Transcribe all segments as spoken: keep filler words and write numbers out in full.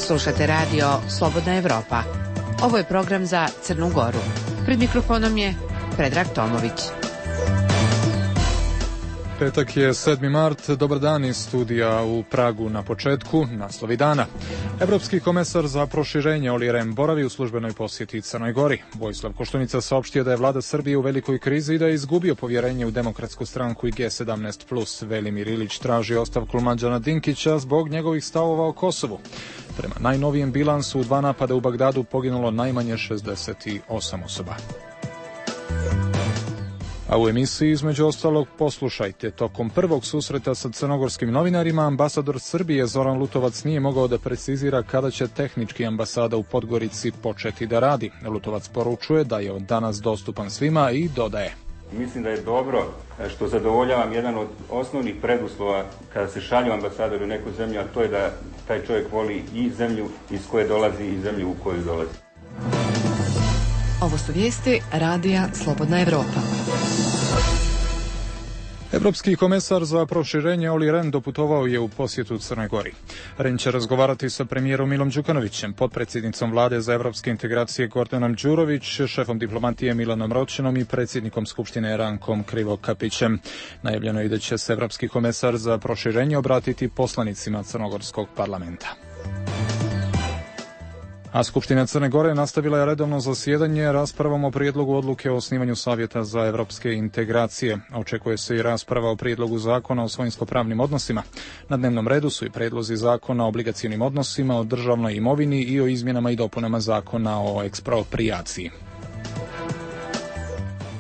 Slušate radio Slobodna Evropa. Ovo je program za Crnu Goru. Pred mikrofonom je Predrag Tomović. Petak je sedmi mart, dobar dan iz studija u Pragu. Na početku naslovi dana. Evropski komesar za proširenje Olli Rehn boravi u službenoj posjeti Crnoj Gori. Vojislav Koštunica saopštio da je vlada Srbije u velikoj krizi i da je izgubio povjerenje u Demokratsku stranku i G sedamnaest plus. Velimir Ilić traži ostavku Mlađana Dinkića zbog njegovih stavova o Kosovu. Prema najnovijem bilansu, u dva napada u Bagdadu poginulo najmanje šezdeset osam osoba. A u emisiji, između ostalog, poslušajte. Tokom prvog susreta sa crnogorskim novinarima, ambasador Srbije Zoran Lutovac nije mogao da precizira kada će tehnički ambasada u Podgorici početi da radi. Lutovac poručuje da je od danas dostupan svima i dodaje: Mislim da je dobro što zadovoljavam jedan od osnovnih preduslova kada se šalju ambasadori u neku zemlju, a to je da taj čovjek voli i zemlju iz koje dolazi i zemlju u koju dolazi. Ovo su vijesti radija Slobodna Evropa. Evropski komesar za proširenje Olli Rehn doputovao je u posjetu Crnoj Gori. Rehn će razgovarati sa premijerom Milom Đukanovićem, potpredsjednicom vlade za evropske integracije Gordanom Đurović, šefom diplomatije Milanom Ročinom i predsjednikom Skupštine Rankom Krivokapićem. Najavljeno je da će se evropski komesar za proširenje obratiti poslanicima Crnogorskog parlamenta. A Skupština Crne Gore nastavila je redovno zasjedanje raspravom o prijedlogu odluke o osnivanju Savjeta za evropske integracije. Očekuje se i rasprava o prijedlogu zakona o svojinsko-pravnim odnosima. Na dnevnom redu su i prijedlozi zakona o obligacionim odnosima, o državnoj imovini i o izmjenama i dopunama zakona o eksproprijaciji.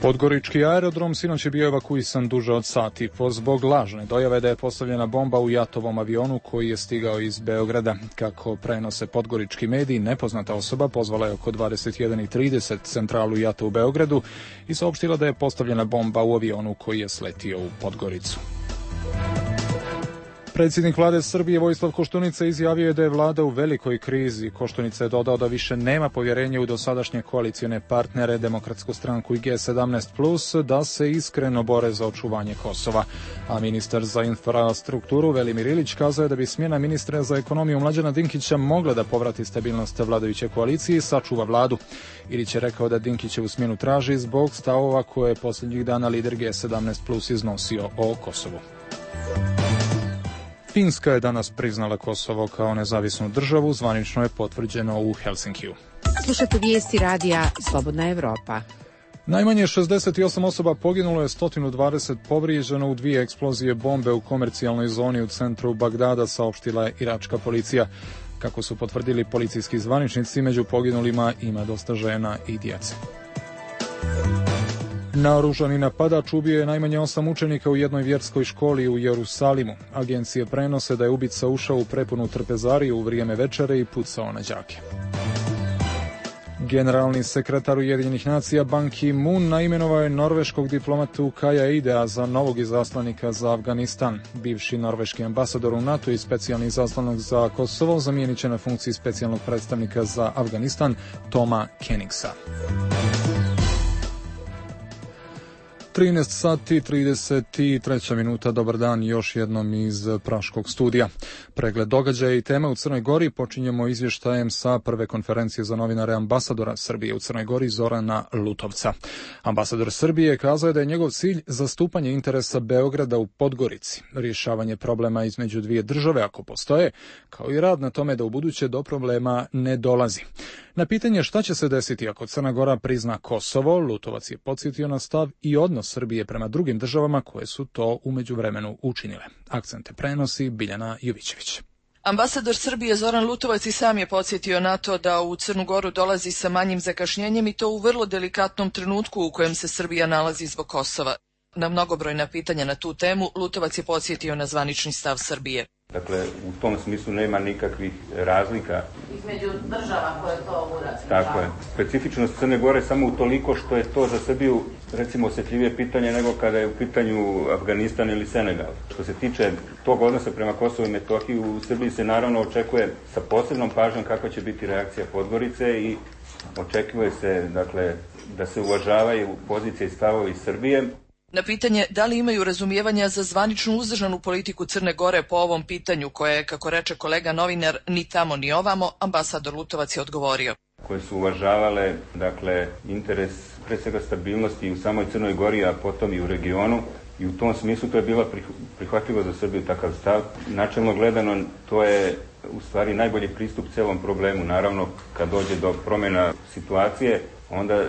Podgorički aerodrom sinoć je bio evakuisan duže od sat i po zbog lažne dojave da je postavljena bomba u jatovom avionu koji je stigao iz Beograda. Kako prenose podgorički mediji, nepoznata osoba pozvala je oko dvadeset jedan i trideset centralu jata u Beogradu i saopštila da je postavljena bomba u avionu koji je sletio u Podgoricu. Predsjednik vlade Srbije Vojislav Koštunica izjavio je da je vlada u velikoj krizi. Koštunica je dodao da više nema povjerenja u dosadašnje koalicione partnere, Demokratsku stranku i G sedamnaest plus, da se iskreno bore za očuvanje Kosova. A ministar za infrastrukturu Velimir Ilić kazao je da bi smjena ministra za ekonomiju Mlađana Dinkića mogla da povrati stabilnost vladajuće koalicije i sačuva vladu. Ilić je rekao da Dinkićevu smjenu traži zbog stavova koje je posljednjih dana lider G sedamnaest plus iznosio o Kosovu. Finska je danas priznala Kosovo kao nezavisnu državu, zvanično je potvrđeno u Helsinkiju. Slušate vijesti radija Slobodna Evropa. Najmanje šezdeset osam osoba poginulo je, sto dvadeset povrijeđeno u dvije eksplozije bombe u komercijalnoj zoni u centru Bagdada, saopštila je iračka policija. Kako su potvrdili policijski zvaničnici, među poginulima ima dosta žena i djece. Naoružani napadač ubio je najmanje osam učenika u jednoj vjerskoj školi u Jerusalimu. Agencije prenose da je ubica ušao u prepunu trpezariju u vrijeme večere i pucao na đake. Generalni sekretar Ujedinjenih nacija Ban Ki-moon naimenovao je norveškog diplomatu Kaja Idea za novog izaslanika za Afganistan. Bivši norveški ambasador u NATO i specijalni izaslanik za Kosovo zamijenit će na funkciji specijalnog predstavnika za Afganistan Toma Kenigsa. trinaest sati trideset tri minuta, dobar dan još jednom iz Praškog studija. Pregled događaja i tema u Crnoj Gori počinjemo izvještajem sa prve konferencije za novinare ambasadora Srbije u Crnoj Gori Zorana Lutovca. Ambasador Srbije kazao je da je njegov cilj zastupanje interesa Beograda u Podgorici, rješavanje problema između dvije države ako postoje, kao i rad na tome da u buduće do problema ne dolazi. Na pitanje šta će se desiti ako Crna Gora prizna Kosovo, Lutovac je podsjetio na stav i odnos Srbije prema drugim državama koje su to u međuvremenu učinile. Akcente prenosi Biljana Jovićević. Ambasador Srbije Zoran Lutovac i sam je podsjetio na to da u Crnu Goru dolazi sa manjim zakašnjenjem i to u vrlo delikatnom trenutku u kojem se Srbija nalazi zbog Kosova. Na mnogobrojna pitanja na tu temu Lutovac je podsjetio na zvanični stav Srbije. Dakle, u tom smislu nema nikakvih razlika između država koje to urade. Tako je. Specifičnost Crne Gore samo utoliko što je to za Srbiju recimo osjetljivije pitanje nego kada je u pitanju Afganistan ili Senegal. Što se tiče tog odnosa prema Kosovu i Metohiji, u Srbiji se naravno očekuje sa posebnom pažnjom kakva će biti reakcija Podgorice i očekuje se dakle da se uvažavaju pozicije i stavovi Srbije. Na pitanje da li imaju razumijevanja za zvaničnu uzdržanu politiku Crne Gore po ovom pitanju, koje je, kako reče kolega novinar, ni tamo ni ovamo, ambasador Lutovac je odgovorio. Koje su uvažavale, dakle, interes pre svega stabilnosti u samoj Crnoj Gori, a potom i u regionu. I u tom smislu to je bilo prihvatljivo za Srbiju takav stav. Načelno gledano, to je u stvari najbolji pristup celom problemu. Naravno, kad dođe do promjena situacije, onda e,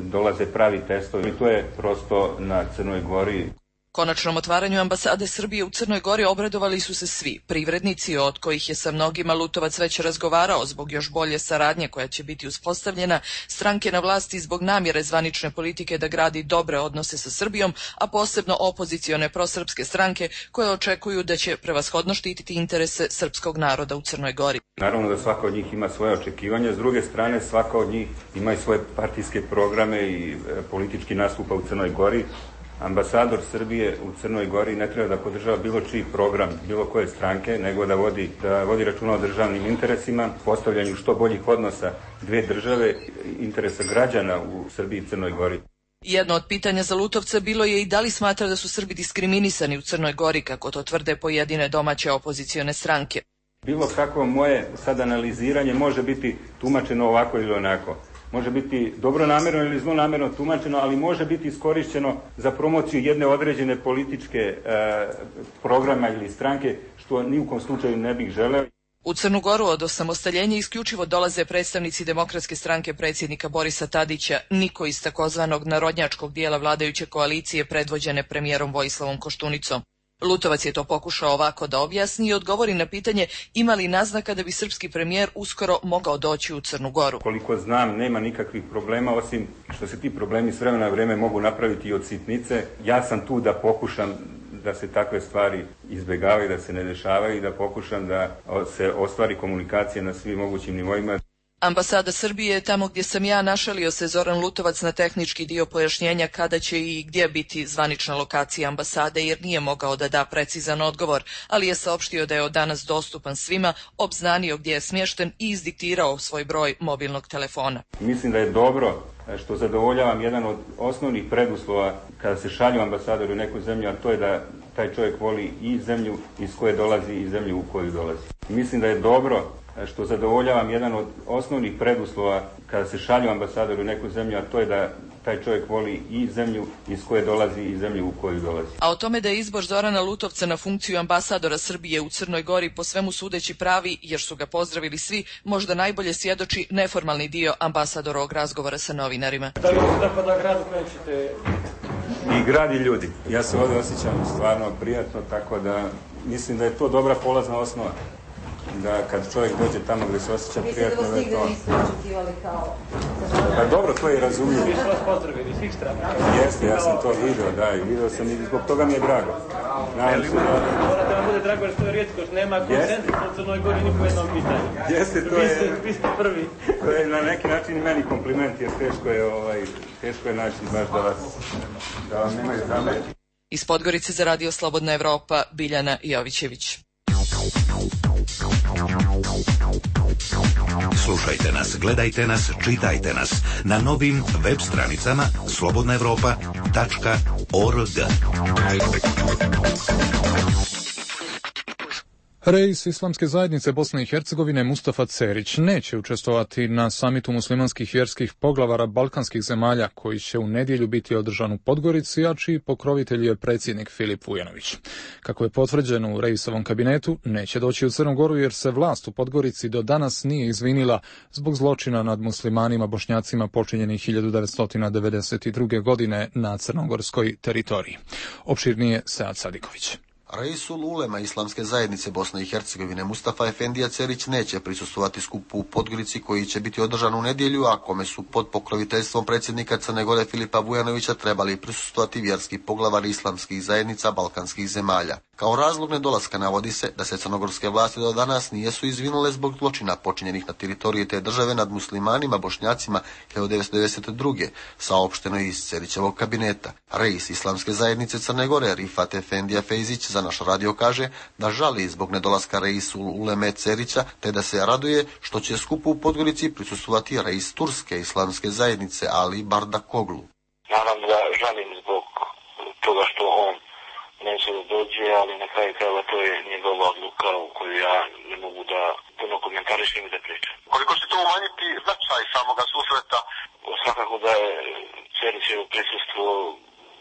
dolaze pravi testovi. I to je prosto na Crnoj Gori. Konačnom otvaranju ambasade Srbije u Crnoj Gori obradovali su se svi privrednici, od kojih je sa mnogima Lutovac već razgovarao zbog još bolje saradnje koja će biti uspostavljena, stranke na vlasti zbog namjere zvanične politike da gradi dobre odnose sa Srbijom, a posebno opozicione prosrpske stranke koje očekuju da će prevashodno štititi interese srpskog naroda u Crnoj Gori. Naravno da svaka od njih ima svoje očekivanja, s druge strane svaka od njih ima i svoje partijske programe i e, politički nastupa u Crnoj Gori. Ambasador Srbije u Crnoj Gori ne treba da podržava bilo čiji program, bilo koje stranke, nego da vodi, da vodi računa o državnim interesima, postavljanju što boljih odnosa dve države, interesa građana u Srbiji i Crnoj Gori. Jedno od pitanja za Lutovca bilo je i da li smatra da su Srbi diskriminisani u Crnoj Gori, kako to tvrde pojedine domaće opozicione stranke. Bilo kakvo moje sad analiziranje može biti tumačeno ovako ili onako. Može biti dobronamjerno ili zlonamjerno tumačeno, ali može biti iskorišćeno za promociju jedne određene političke e, programa ili stranke, što ni u kom slučaju ne bih želeo. U Crnu Goru od osamostaljenja isključivo dolaze predstavnici Demokratske stranke predsjednika Borisa Tadića, niko iz takozvanog narodnjačkog dijela vladajuće koalicije predvođene premijerom Vojislavom Koštunicom. Lutovac je to pokušao ovako da objasni i odgovori na pitanje ima li naznaka da bi srpski premijer uskoro mogao doći u Crnu Goru. Koliko znam, nema nikakvih problema, osim što se ti problemi s vremena na vrijeme mogu napraviti i od sitnice. Ja sam tu da pokušam da se takve stvari izbjegavaju, da se ne dešavaju i da pokušam da se ostvari komunikacija na svim mogućim nivoima. Ambasada Srbije, tamo gdje sam ja, našalio se Zoran Lutovac na tehnički dio pojašnjenja kada će i gdje biti zvanična lokacija ambasade, jer nije mogao da da precizan odgovor, ali je saopštio da je od danas dostupan svima, obznanio gdje je smješten i izdiktirao svoj broj mobilnog telefona. Mislim da je dobro što zadovoljavam jedan od osnovnih preduslova kada se šalju ambasadori u neku zemlju, a to je da taj čovjek voli i zemlju iz koje dolazi i zemlju u koju dolazi. Mislim da je dobro što zadovoljavam jedan od osnovnih preduslova kada se šalju ambasadori u neku zemlju, a to je da taj čovjek voli i zemlju iz koje dolazi i zemlju u koju dolazi. A o tome da je izbor Zorana Lutovca na funkciju ambasadora Srbije u Crnoj Gori po svemu sudeći pravi, jer su ga pozdravili svi, možda najbolje svjedoči neformalni dio ambasadorovog razgovora sa novinarima. Da li se dopada grad u kojem ćete... I grad i ljudi. Ja se ovdje osjećam stvarno prijatno, tako da mislim da je to dobra polazna osnova. Da kad čovjek dođe tamo gdje se osjeća prijatno, da je to... Mislim da vas nigde nisu očekivali kao... Pa dobro, to je razumljivo. Mi smo vas pozdravili, svih strana. Jeste, ja sam to vidio, da, i vidio sam i zbog toga mi je drago. Nadam se da... Mora da vam bude drago jer što je rijetko, što nema konsenzusa u Crnoj Gori ni po jednom pitanju. Jeste, to je... Vi ste prvi. To je na neki način i meni kompliment, jer teško je, ovaj, teško je naći baš da vas... da vam nemaju zameti. Iz Podgorice za Radio Slobodna Evropa, Biljana Jovićević. Slušajte nas, gledajte nas, čitajte nas na novim web stranicama slobodna evropa tačka org. Reis Islamske zajednice Bosne i Hercegovine Mustafa Cerić neće učestvovati na samitu muslimanskih vjerskih poglavara balkanskih zemalja koji će u nedjelju biti održan u Podgorici, a čiji pokrovitelj je predsjednik Filip Vujanović. Kako je potvrđeno u Reisovom kabinetu, neće doći u Crnu Goru jer se vlast u Podgorici do danas nije izvinila zbog zločina nad muslimanima Bošnjacima počinjenih hiljadu devetsto devedeset druge. godine na crnogorskoj teritoriji. Opširnije Sead Sadiković. Reisul ulema Islamske zajednice Bosne i Hercegovine Mustafa Efendija Cerić neće prisustvovati skupu u Podgorici koji će biti održan u nedjelju, a kome su pod pokroviteljstvom predsjednika Crne Gore Filipa Vujanovića trebali prisustvovati vjerski poglavari islamskih zajednica balkanskih zemalja. Kao razlog nedolaska navodi se da se crnogorske vlasti do danas nijesu izvinule zbog zločina počinjenih na teritoriji te države nad muslimanima Bošnjacima hiljadu devetsto devedeset druge. saopšteno iz Cerićevog kabineta. Reis Islamske zajednice Crne Gore Rifat Efendija Fejzić za naš radio kaže da žali zbog nedolaska reisu uleme Cerića, te da se raduje što će skupu u Podgorici prisustvovati reis Turske Islamske zajednice Ali Bardakoglu. Naravno da žalim zbog će da dođe, ali na kraju krajeva to je njegova odluka u koju ja ne mogu da puno komentarišem i da pričam. Koliko će to umanjiti značaj samoga susreta? Svakako da je Cerićevo prisustvo,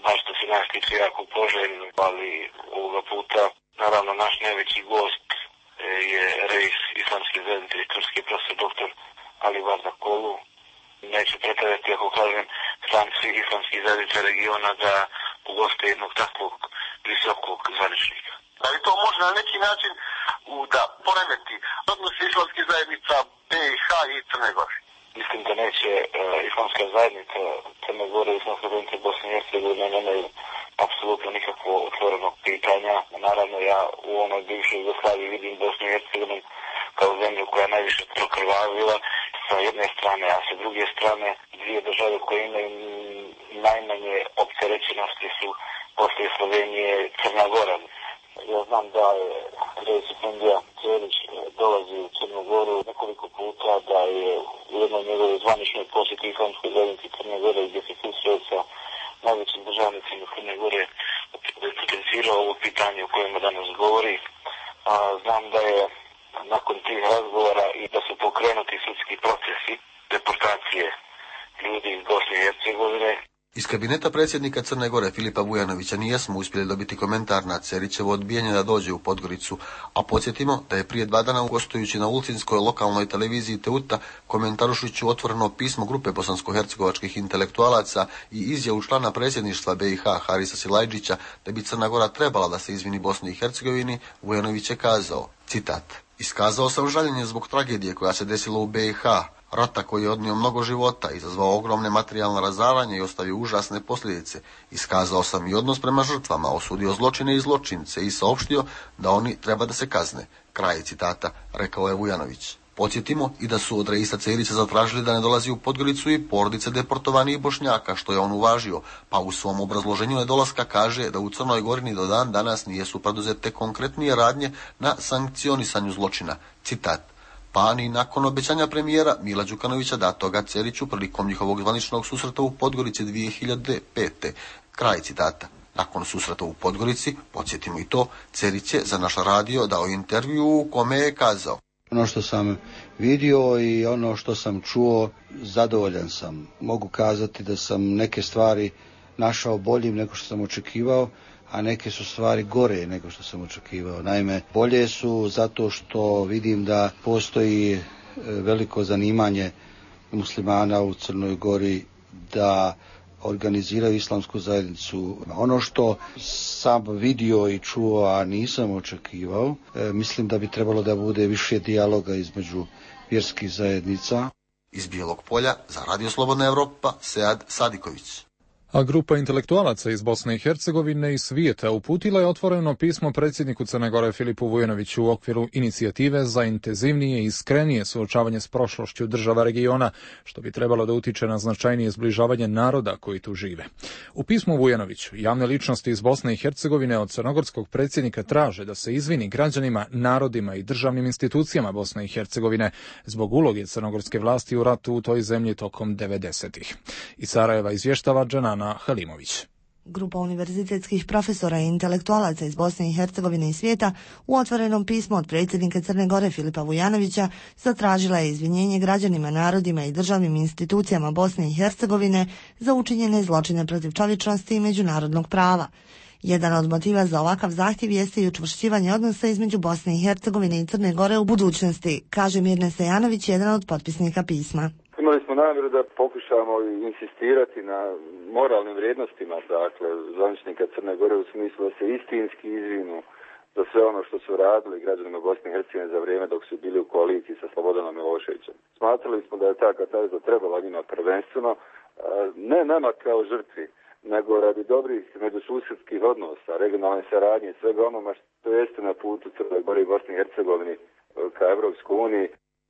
baš što se nas tiče, jako poželjno, ali ovoga puta, naravno, naš najveći gost je reis islamske zajednice i turski profesor doktor Ali Varda Kolu. Neću pretaviti ako kažem član svih islamskih zajednica regiona da ugoste jednog takvog visokog zvaničnika. Da li to može na neki način da poremeti odnose islamskih zajednica B i H i Crne Gore? Mislim da neće uh, islamska zajednica Crne Gore i islamska zajednica Bosne i Hercegovine nemaju apsolutno nikakvo otvorenog pitanja. Naravno, ja u onoj bivšoj Jugoslaviji vidim Bosnu i Hercegovinu kao zemlju koja je najviše prokrvavila sa jedne strane, a sa druge strane dvije države koje imaju najmanje opterećenosti su poslije Slovenije Crna Gora. Ja znam da je reis Efendija Cerić dolazi u Crnu Goru nekoliko puta, da je u jednoj njegovoj zvaničnoj posjeti islamskoj zajednici Crne Gore gdje se susreo sa najvećim državnicima Crne Gore potencirao ovo pitanje o kojima danas govori. A, znam da je nakon tih razgovora i da su pokrenuti sudski procesi deportacije ljudi iz Bosne i Hercegovine. Iz kabineta predsjednika Crne Gore Filipa Vujanovića nijesmo uspjeli dobiti komentar na Cerićevo odbijanje da dođe u Podgoricu, a podsjetimo da je prije dva dana gostujući na ulcinskoj lokalnoj televiziji Teuta komentarušući otvoreno pismo grupe bosansko-hercegovačkih intelektualaca i izjavu člana predsjedništva B i H Harisa Silajđića da bi Crna Gora trebala da se izvini Bosni i Hercegovini, Vujanović je kazao, citat: "Iskazao sam žaljenje zbog tragedije koja se desila u B i H, rata koji je odnio mnogo života, izazvao ogromne materijalne razaranje i ostavio užasne posljedice. Iskazao sam i odnos prema žrtvama, osudio zločine i zločince i saopštio da oni treba da se kazne." Kraj citata, rekao je Vujanović. Podsjetimo i da su od reisa Cerića zatražili da ne dolazi u Podgoricu i porodice deportovanih Bošnjaka, što je on uvažio, pa u svom obrazloženju nedolaska kaže da u Crnoj Gori ni do dan danas nijesu preduzete konkretnije radnje na sankcionisanju zločina. Citat: "Pa ni nakon obećanja premijera Mila Đukanovića datoga Ceriću prilikom njihovog zvaničnog susreta u Podgorici dvije hiljade pete. Kraj citata. Nakon susreta u Podgorici, podsjetimo i to, Cerić je za naš radio dao intervju u kome je kazao: "Ono što sam vidio i ono što sam čuo, zadovoljan sam. Mogu kazati da sam neke stvari našao boljim nego što sam očekivao, a neke su stvari gore nego što sam očekivao. Naime, bolje su zato što vidim da postoji veliko zanimanje muslimana u Crnoj Gori da organiziraju islamsku zajednicu. Ono što sam vidio i čuo, a nisam očekivao, mislim da bi trebalo da bude više dijaloga između vjerskih zajednica." Iz Bijelog Polja za Radio Slobodna Evropa, Sead Sadiković. A grupa intelektualaca iz Bosne i Hercegovine i svijeta uputila je otvoreno pismo predsjedniku Crne Gore Filipu Vujanoviću u okviru inicijative za intenzivnije i iskrenije suočavanje s prošlošću država regiona, što bi trebalo da utiče na značajnije zbližavanje naroda koji tu žive. U pismu Vujanoviću javne ličnosti iz Bosne i Hercegovine od crnogorskog predsjednika traže da se izvini građanima, narodima i državnim institucijama Bosne i Hercegovine zbog uloge crnogorske vlasti u ratu u toj zemlji tokom devedesetih. Iz Sarajeva izvještava Dženana Halimović. Grupa univerzitetskih profesora i intelektualaca iz Bosne i Hercegovine i svijeta u otvorenom pismu od predsjednika Crne Gore Filipa Vujanovića zatražila je izvinjenje građanima, narodima i državnim institucijama Bosne i Hercegovine za učinjene zločine protiv čovječnosti i međunarodnog prava. Jedan od motiva za ovakav zahtjev jeste i učvršćivanje odnosa između Bosne i Hercegovine i Crne Gore u budućnosti, kaže Mirne Sejanović, jedan od potpisnika pisma. Imali smo namjeru da pokušamo insistirati na moralnim vrijednostima, dakle, zvaničnika Crne Gore u smislu da se istinski izvinu za sve ono što su radili građanima Bosne i Hercegovine za vrijeme dok su bili u koaliciji sa Slobodanom Miloševićem. Smatrali smo da je ta katarza trebala njima prvenstveno, ne nama kao žrtvi, nego radi dobrih međususjedskih odnosa, regionalne saradnje i svega onoma što jeste na putu Crne Gore i Bosne i Hercegovine ka Evropskoj uniji.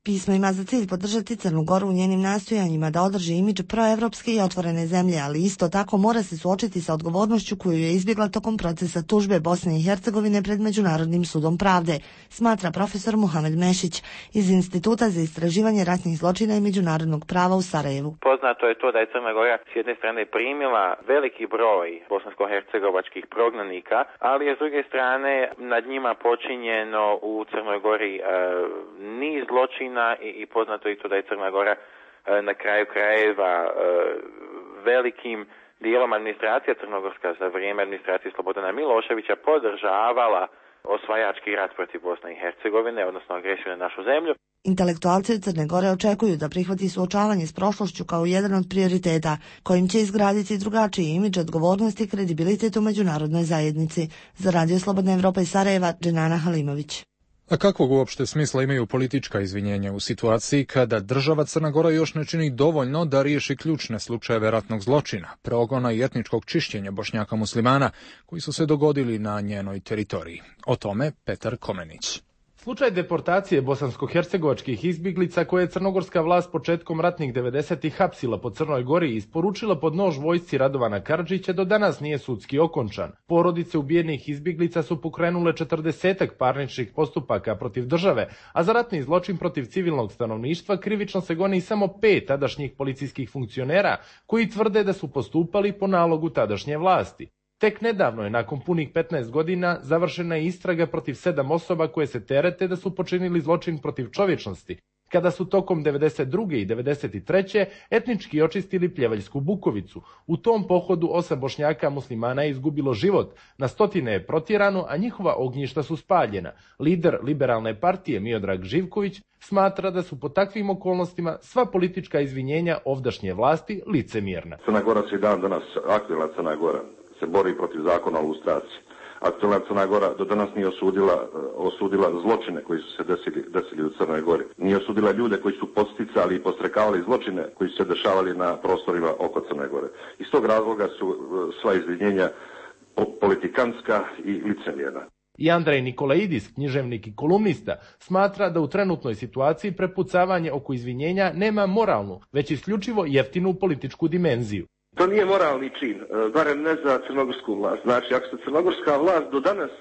Pismo ima za cilj podržati Crnu Goru u njenim nastojanjima da održi imidž proevropske i otvorene zemlje, ali isto tako mora se suočiti sa odgovornošću koju je izbjegla tokom procesa tužbe Bosne i Hercegovine pred Međunarodnim sudom pravde, smatra profesor Muhamed Mešić iz Instituta za istraživanje ratnih zločina i međunarodnog prava u Sarajevu. Poznato je to da je Crna Gora s jedne strane primila veliki broj bosansko-hercegovačkih prognanika, ali je s druge strane nad njima počinjeno u Crnoj Gori e, niz zločina I, i poznato je to da je Crna Gora e, na kraju krajeva e, velikim dijelom administracija crnogorska za vrijeme administracije Slobodana Miloševića podržavala osvajački rat protiv Bosne i Hercegovine, odnosno agresiju na našu zemlju. Intelektualci od Crne Gore očekuju da prihvati suočavanje s prošlošću kao jedan od prioriteta, kojim će izgraditi drugačiji imidž, odgovornosti i kredibilitet u međunarodnoj zajednici. Za Radio Slobodna Evropa iz Sarajeva, Dženana Halimović. A kakvog uopšte smisla imaju politička izvinjenja u situaciji kada država Crna Gora još ne čini dovoljno da riješi ključne slučajeve ratnog zločina, progona i etničkog čišćenja Bošnjaka muslimana koji su se dogodili na njenoj teritoriji? O tome Petar Komenić. Slučaj deportacije bosansko-hercegovačkih izbjeglica koje je crnogorska vlast početkom ratnih devedesetih hapsila po Crnoj Gori i isporučila pod nož vojsci Radovana Karadžića do danas nije sudski okončan. Porodice ubijenih izbjeglica su pokrenule četrdesetak parničnih postupaka protiv države, a za ratni zločin protiv civilnog stanovništva krivično se goni samo pet tadašnjih policijskih funkcionera koji tvrde da su postupali po nalogu tadašnje vlasti. Tek nedavno je, nakon punih petnaest godina, završena istraga protiv sedam osoba koje se terete da su počinili zločin protiv čovječnosti, kada su tokom devedeset druge i devedeset treće etnički očistili Pljevaljsku Bukovicu. U tom pohodu osam Bošnjaka muslimana je izgubilo život, na stotine je protjerano, a njihova ognjišta su spaljena. Lider liberalne partije Miodrag Živković smatra da su po takvim okolnostima sva politička izvinjenja ovdašnje vlasti licemjerna. Crna Gora se i dan danas, aktualna Crna Gora, se bori protiv zakona o lustraciji. Aktualna Crna Gora do danas nije osudila, osudila zločine koji su se desili, desili u Crnoj Gori. Nije osudila ljude koji su podsticali i postrekavali zločine koji su se dešavali na prostorima oko Crne Gore. Iz tog razloga su sva izvinjenja politikanska i licemjerna. I Andrej Nikolaidis, književnik i kolumnista, smatra da u trenutnoj situaciji prepucavanje oko izvinjenja nema moralnu, već isključivo jeftinu političku dimenziju. To nije moralni čin, barem ne za crnogorsku vlast. Znači, ako se crnogorska vlast do danas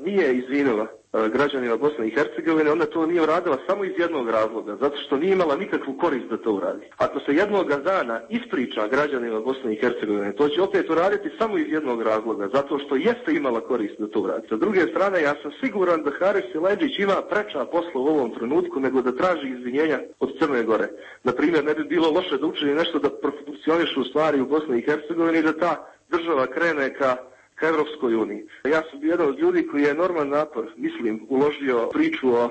nije izvinila građanima Bosne i Hercegovine, onda to nije uradila samo iz jednog razloga, zato što nije imala nikakvu korist da to uradi. Ako se jednoga dana ispriča građanima Bosne i Hercegovine, to će opet uraditi samo iz jednog razloga, zato što jeste imala korist da to uradi. Sa druge strane, ja sam siguran da Haris Siledžić ima preča posla u ovom trenutku nego da traži izvinjenja od Crne Gore. Naprimjer, ne bi bilo loše da učini nešto da profunkcionišu stvari u Bosni i Hercegovini, da ta država krene ka ka Evropskoj uniji. Ja sam bio jedan od ljudi koji je enorman napor, mislim, uložio priču o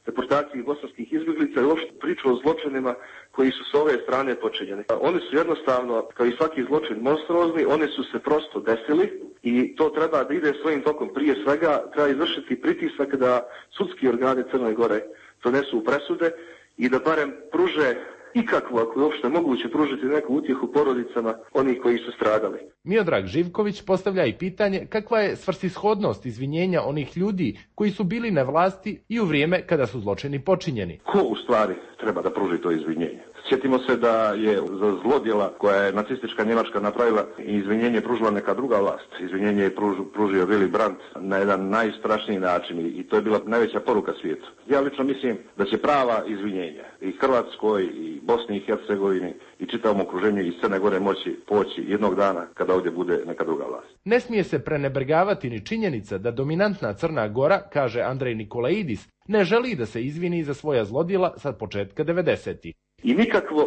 deportaciji bosanskih izbjeglica i uopšte priču o zločinima koji su s ove strane počinjeni. Oni su jednostavno, kao i svaki zločin, monstruozni, oni su se prosto desili i to treba da ide svojim tokom. Prije svega treba izvršiti pritisak da sudski organi Crne Gore donesu presude i da barem pruže ikakvu, ako je uopšte moguće, pružiti neku utjehu porodicama onih koji su stradali. Miodrag Živković postavlja i pitanje kakva je svrsishodnost izvinjenja onih ljudi koji su bili na vlasti i u vrijeme kada su zločini počinjeni. Ko u stvari treba da pruži to izvinjenje? Sjetimo se da je za zlodjela koja je nacistička Njemačka napravila i izvinjenje pružila neka druga vlast. Izvinjenje je pruž, pružio Willy Brandt na jedan najstrašniji način i to je bila najveća poruka svijetu. Ja lično mislim da će prava izvinjenja i Hrvatskoj i Bosni i Hercegovini i čitavom okruženju iz Crne Gore moći poći jednog dana kada ovdje bude neka druga vlast. Ne smije se prenebregavati ni činjenica da dominantna Crna Gora, kaže Andrej Nikolaidis, ne želi da se izvini za svoja zlodjela sa početka devedesetih. I nikakvo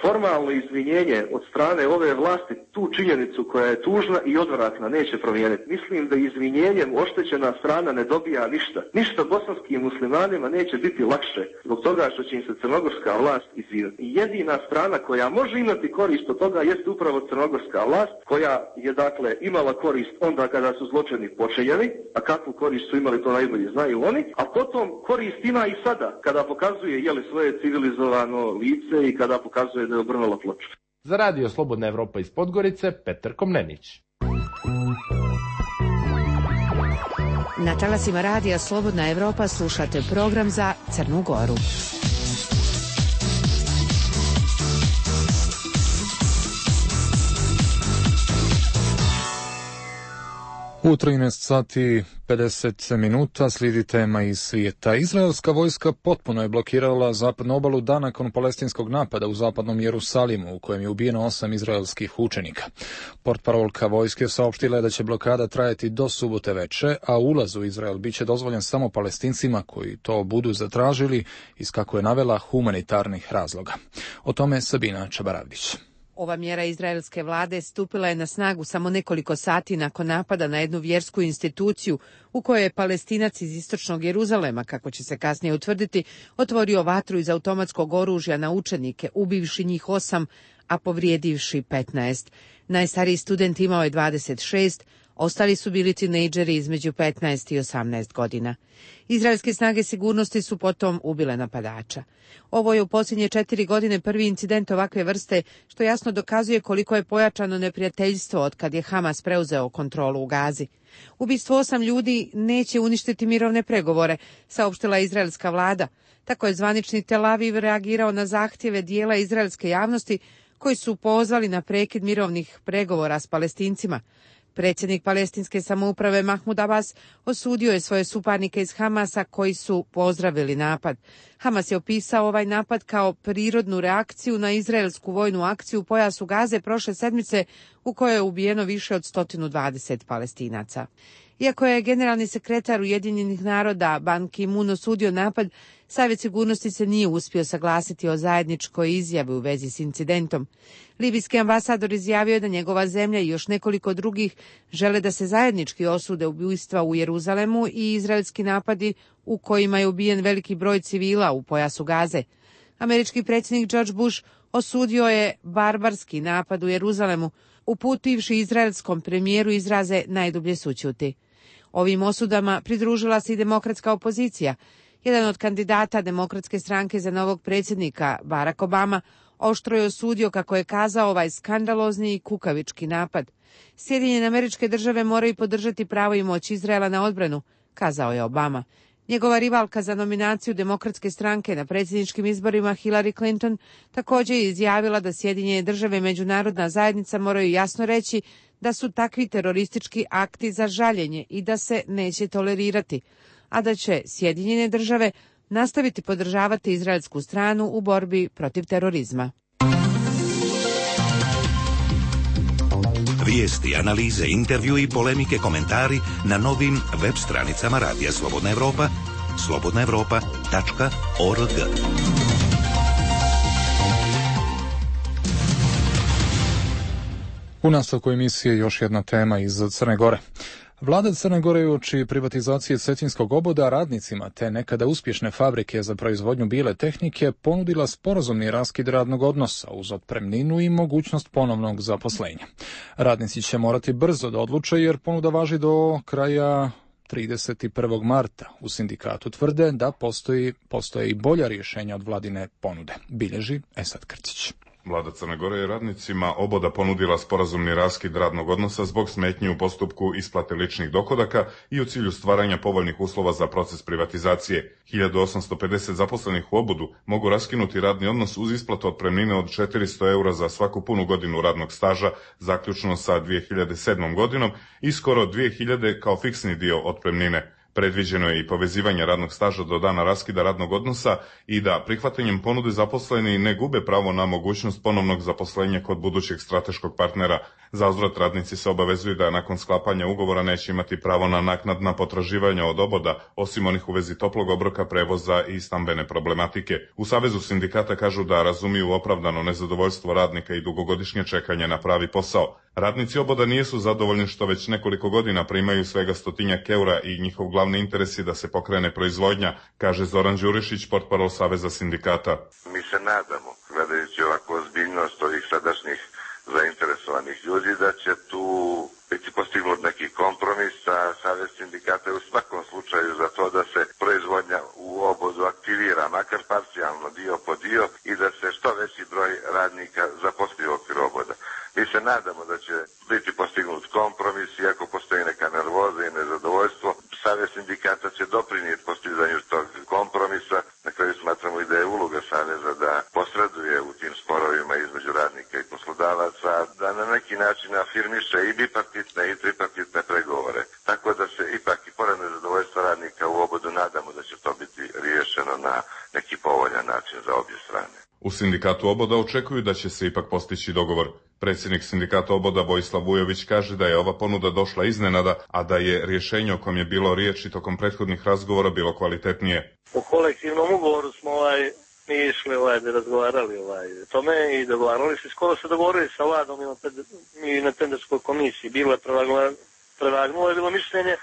formalno izvinjenje od strane ove vlasti tu činjenicu koja je tužna i odvratna neće promijeniti. Mislim da izvinjenjem oštećena strana ne dobija ništa. Ništa bosanskim muslimanima neće biti lakše zbog toga što će im se crnogorska vlast izviniti. Jedina strana koja može imati korist od toga jeste upravo crnogorska vlast koja je dakle imala korist onda kada su zločini počinjeni, a kakvu korist su imali to najbolje znaju oni, a potom korist ima i sada kada pokazuje jeli svoje civilizovano lice i kada pokazuje da je obrnula ploču. Za Radio Slobodna Evropa iz Podgorice, Petar Komnenić. Na talasima Radija Slobodna Evropa slušate program za Crnu Goru. U trinaest sati pedeset minuta slijedi tema iz svijeta. Izraelska vojska potpuno je blokirala zapadnu obalu dan nakon palestinskog napada u zapadnom Jerusalimu, u kojem je ubijeno osam izraelskih učenika. Portparolka vojske saopštila je da će blokada trajati do subote veče, a ulaz u Izrael biće dozvoljen samo Palestincima koji to budu zatražili iz, kako je navela, humanitarnih razloga. O tome Sabina Čabaravdić. Ova mjera izraelske vlade stupila je na snagu samo nekoliko sati nakon napada na jednu vjersku instituciju u kojoj je Palestinac iz istočnog Jeruzalema, kako će se kasnije utvrditi, otvorio vatru iz automatskog oružja na učenike, ubivši njih osam, a povrijedivši petnaest. Najstariji student imao je dvadeset šest, ostali su bili tinejdžeri između petnaest i osamnaest godina. Izraelske snage sigurnosti su potom ubile napadača. Ovo je u posljednje četiri godine prvi incident ovakve vrste, što jasno dokazuje koliko je pojačano neprijateljstvo od kad je Hamas preuzeo kontrolu u Gazi. Ubistvo osam ljudi neće uništiti mirovne pregovore, saopštila je izraelska vlada. Tako je zvanični Tel Aviv reagirao na zahtjeve dijela izraelske javnosti koji su pozvali na prekid mirovnih pregovora s Palestincima. Predsjednik palestinske samouprave Mahmud Abbas osudio je svoje suparnike iz Hamasa koji su pozdravili napad. Hamas je opisao ovaj napad kao prirodnu reakciju na izraelsku vojnu akciju u pojasu Gaze prošle sedmice u kojoj je ubijeno više od sto dvadeset Palestinaca. Iako je generalni sekretar Ujedinjenih naroda Ban Ki-moon osudio napad, Savjet sigurnosti se nije uspio saglasiti o zajedničkoj izjavi u vezi s incidentom. Libijski ambasador izjavio je da njegova zemlja i još nekoliko drugih žele da se zajednički osude ubojstva u Jeruzalemu i izraelski napadi u kojima je ubijen veliki broj civila u pojasu Gaze. Američki predsjednik George Bush osudio je barbarski napad u Jeruzalemu, uputivši izraelskom premijeru izraze najdublje sućuti. Ovim osudama pridružila se i demokratska opozicija. Jedan od kandidata demokratske stranke za novog predsjednika, Barack Obama, oštro je osudio, kako je kazao, ovaj skandalozni i kukavički napad. Sjedinjene Američke Države moraju podržati pravo i moć Izraela na odbranu, kazao je Obama. Njegova rivalka za nominaciju demokratske stranke na predsjedničkim izborima, Hillary Clinton, također je izjavila da Sjedinjene Države i međunarodna zajednica moraju jasno reći da su takvi teroristički akti za žaljenje i da se neće tolerirati, a da će Sjedinjene Države nastaviti podržavati izraelsku stranu u borbi protiv terorizma. Vijesti, analize, intervju i polemike, komentari na novim web stranicama Radija Slobodna Evropa, slobodna evropa tačka org. U nastavku emisije još jedna tema iz Crne Gore. Vlada Crne Gore uoči privatizacije cetinskog oboda radnicima te nekada uspješne fabrike za proizvodnju bile tehnike ponudila sporazumni raskid radnog odnosa uz otpremninu i mogućnost ponovnog zaposlenja. Radnici će morati brzo da odluče jer ponuda važi do kraja trideset prvog marta. U sindikatu tvrde da postoji, postoje i bolja rješenja od vladine ponude, bilježi Esad Krcić. Vlada Crne Gore je radnicima oboda ponudila sporazumni raskid radnog odnosa zbog smetnji u postupku isplate ličnih dohodaka i u cilju stvaranja povoljnih uslova za proces privatizacije. hiljadu osamsto pedeset zaposlenih u obodu mogu raskinuti radni odnos uz isplatu otpremnine od četiristo eura za svaku punu godinu radnog staža, zaključno sa dvije hiljade sedmom godinom, i skoro dvije hiljade kao fiksni dio otpremnine. Predviđeno je i povezivanje radnog staža do dana raskida radnog odnosa i da prihvatanjem ponude zaposleni ne gube pravo na mogućnost ponovnog zaposlenja kod budućeg strateškog partnera. Zauzvrat radnici se obavezuju da nakon sklapanja ugovora neće imati pravo na naknadna potraživanja od oboda, osim onih u vezi toplog obroka, prevoza i stambene problematike. U Savezu sindikata kažu da razumiju opravdano nezadovoljstvo radnika i dugogodišnje čekanje na pravi posao. Radnici oboda nisu zadovoljni što već nekoliko godina primaju svega stotinjak eura i njihov glavni interes je da se pokrene proizvodnja, kaže Zoran Đurišić, portparol Saveza sindikata. Mi se nadamo, gledajući ovako ozbiljnost ovih sadašnjih zainteresovanih ljudi, da će tu biti postignut neki kompromis, a Savez sindikata je u svakom slučaju za to da se proizvodnja u obodu aktivira, makar parcijalno, dio po dio, i da se što veći broj radnika zaposli u okviru oboda. Mi se nadamo da će biti postignut kompromis, iako postoji neka nervoza i nezadovoljstvo. Savez sindikata će doprinijeti postizanju tog kompromisa. Na kraju smatramo i da je uloga Saveza da posreduje u tim sporovima između radnika i poslodavaca, da na neki način afirmiše i bipartitne i tripartitne pregovore U sindikatu Oboda očekuju da će se ipak postići dogovor. Predsjednik sindikata Oboda Vojislav Vujović kaže da je ova ponuda došla iznenada, a da je rješenje o kojem je bilo riječi tokom prethodnih razgovora bilo kvalitetnije. U kolektivnom ugovoru smo ovaj, mi išli ovaj, da razgovarali ovaj, tome i dogovarali se, skoro se dogovorili sa vladom i na tenderskoj komisiji. Bilo je prevagnulo, prevagnulo je bilo mišljenje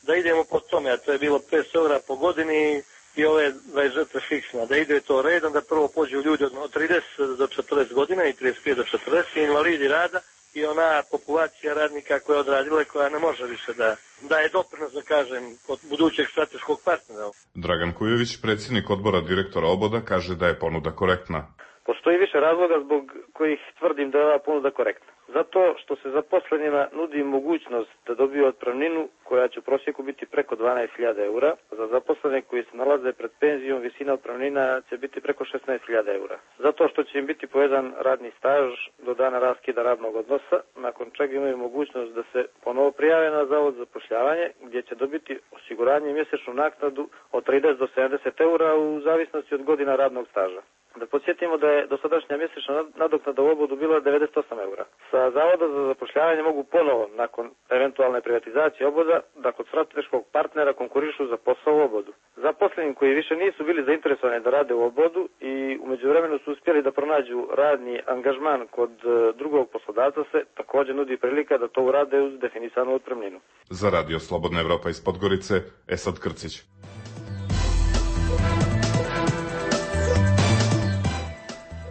da idemo po tome, a to je bilo petsto eura po godini i ove dvadeset četiri fiksna, da ide to redom, da prvo pođu ljudi od trideset do četrdeset godina i trideset pet do četrdeset, invalidi rada i ona populacija radnika koja je odradila i koja ne može više da daje doprinos, da kažem, kod budućeg strateškog partnera. Dragan Kujović, predsjednik odbora direktora Oboda, kaže da je ponuda korektna. Postoji više razloga zbog kojih tvrdim da je ova ponuda korektna. Zato što se zaposlenima nudi mogućnost da dobiju otpremninu koja će u prosjeku biti preko dvanaest hiljada eura. Za zaposlene koji se nalaze pred penzijom visina otpremnina će biti preko šesnaest hiljada eura. Zato što će im biti povezan radni staž do dana raskida radnog odnosa, nakon čega imaju mogućnost da se ponovo prijave na zavod za zapošljavanje gdje će dobiti osiguranje i mjesečnu naknadu od trideset do sedamdeset eura u zavisnosti od godina radnog staža. Da podsjetimo da je dosadašnja mjesečna nadoknada u Obodu bila devedeset osam eura. Sa Zavoda za zapošljavanje mogu ponovo, nakon eventualne privatizacije Oboda, da kod strateškog partnera konkurišu za posao u Obodu. Zaposleni koji više nisu bili zainteresovani da rade u Obodu i u međuvremenu su uspjeli da pronađu radni angažman kod drugog poslodavca se također nudi prilika da to urade uz definisanu otpremninu. Za Radio Slobodna Evropa iz Podgorice, Esad Krcić.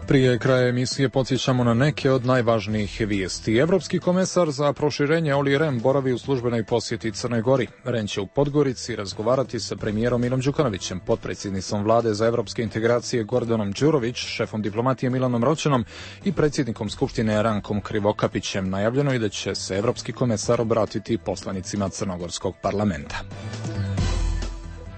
Prije kraja emisije podsjećamo na neke od najvažnijih vijesti. Evropski komesar za proširenje Olli Rehn boravi u službenoj posjeti Crnoj Gori. Rehn će u Podgorici razgovarati sa premijerom Milom Đukanovićem, potpredsjednicom vlade za evropske integracije Gordanom Đurović, šefom diplomatije Milanom Roćenom i predsjednikom Skupštine Rankom Krivokapićem. Najavljeno je da će se evropski komesar obratiti poslanicima Crnogorskog parlamenta.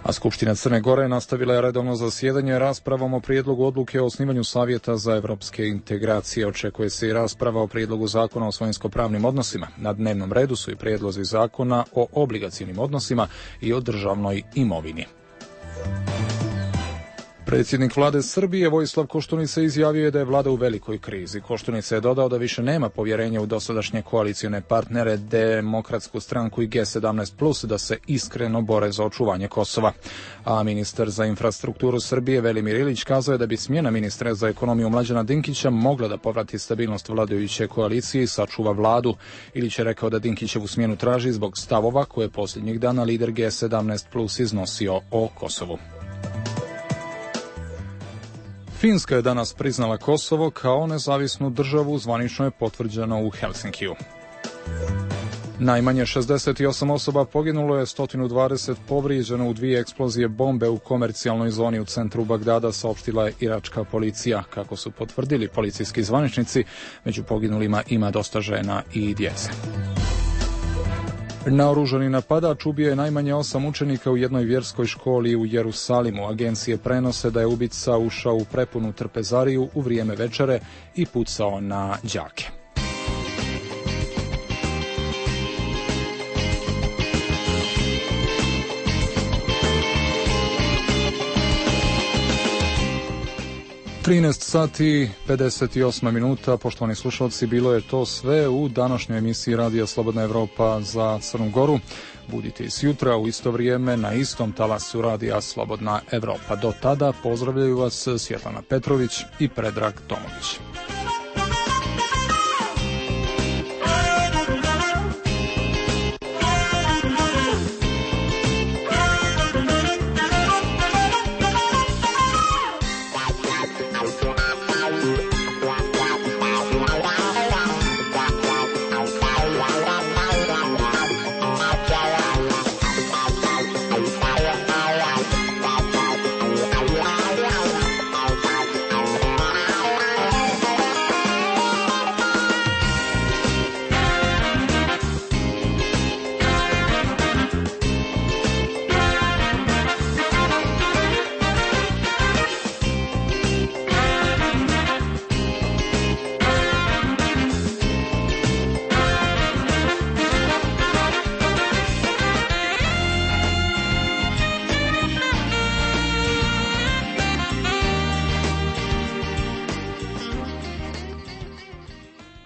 A Skupština Crne Gore nastavila je redovno zasjedanje raspravom o prijedlogu odluke o osnivanju Savjeta za evropske integracije. Očekuje se i rasprava o prijedlogu zakona o svojinsko-pravnim odnosima. Na dnevnom redu su i prijedlozi zakona o obligacijnim odnosima i o državnoj imovini. Predsjednik vlade Srbije Vojislav Koštunica izjavio je da je vlada u velikoj krizi. Koštunica je dodao da više nema povjerenja u dosadašnje koalicione partnere, Demokratsku stranku i G sedamnaest plus, da se iskreno bore za očuvanje Kosova. A ministar za infrastrukturu Srbije Velimir Ilić kazao je da bi smjena ministra za ekonomiju Mlađana Dinkića mogla da povrati stabilnost vladajuće koalicije i sačuva vladu. Ilić je rekao da Dinkićevu smjenu traži zbog stavova koje posljednjih dana lider G sedamnaest plus iznosio o Kosovu. Finska je danas priznala Kosovo kao nezavisnu državu, zvanično je potvrđeno u Helsinkiju. Najmanje šezdeset osam osoba poginulo je, sto dvadeset povrijeđeno u dvije eksplozije bombe u komercijalnoj zoni u centru Bagdada, saopštila je iračka policija. Kako su potvrdili policijski zvaničnici, među poginulima ima dosta žena i djece. Naoružani napadač ubio je najmanje osam učenika u jednoj vjerskoj školi u Jerusalimu. Agencije prenose da je ubica ušao u prepunu trpezariju u vrijeme večere i pucao na đake. trinaest sati pedeset osam minuta, poštovani slušalci, bilo je to sve u današnjoj emisiji Radija Slobodna Evropa za Crnu Goru. Budite i sutra u isto vrijeme na istom talasu Radija Slobodna Evropa. Do tada pozdravljaju vas Svjetlana Petrović i Predrag Tomović.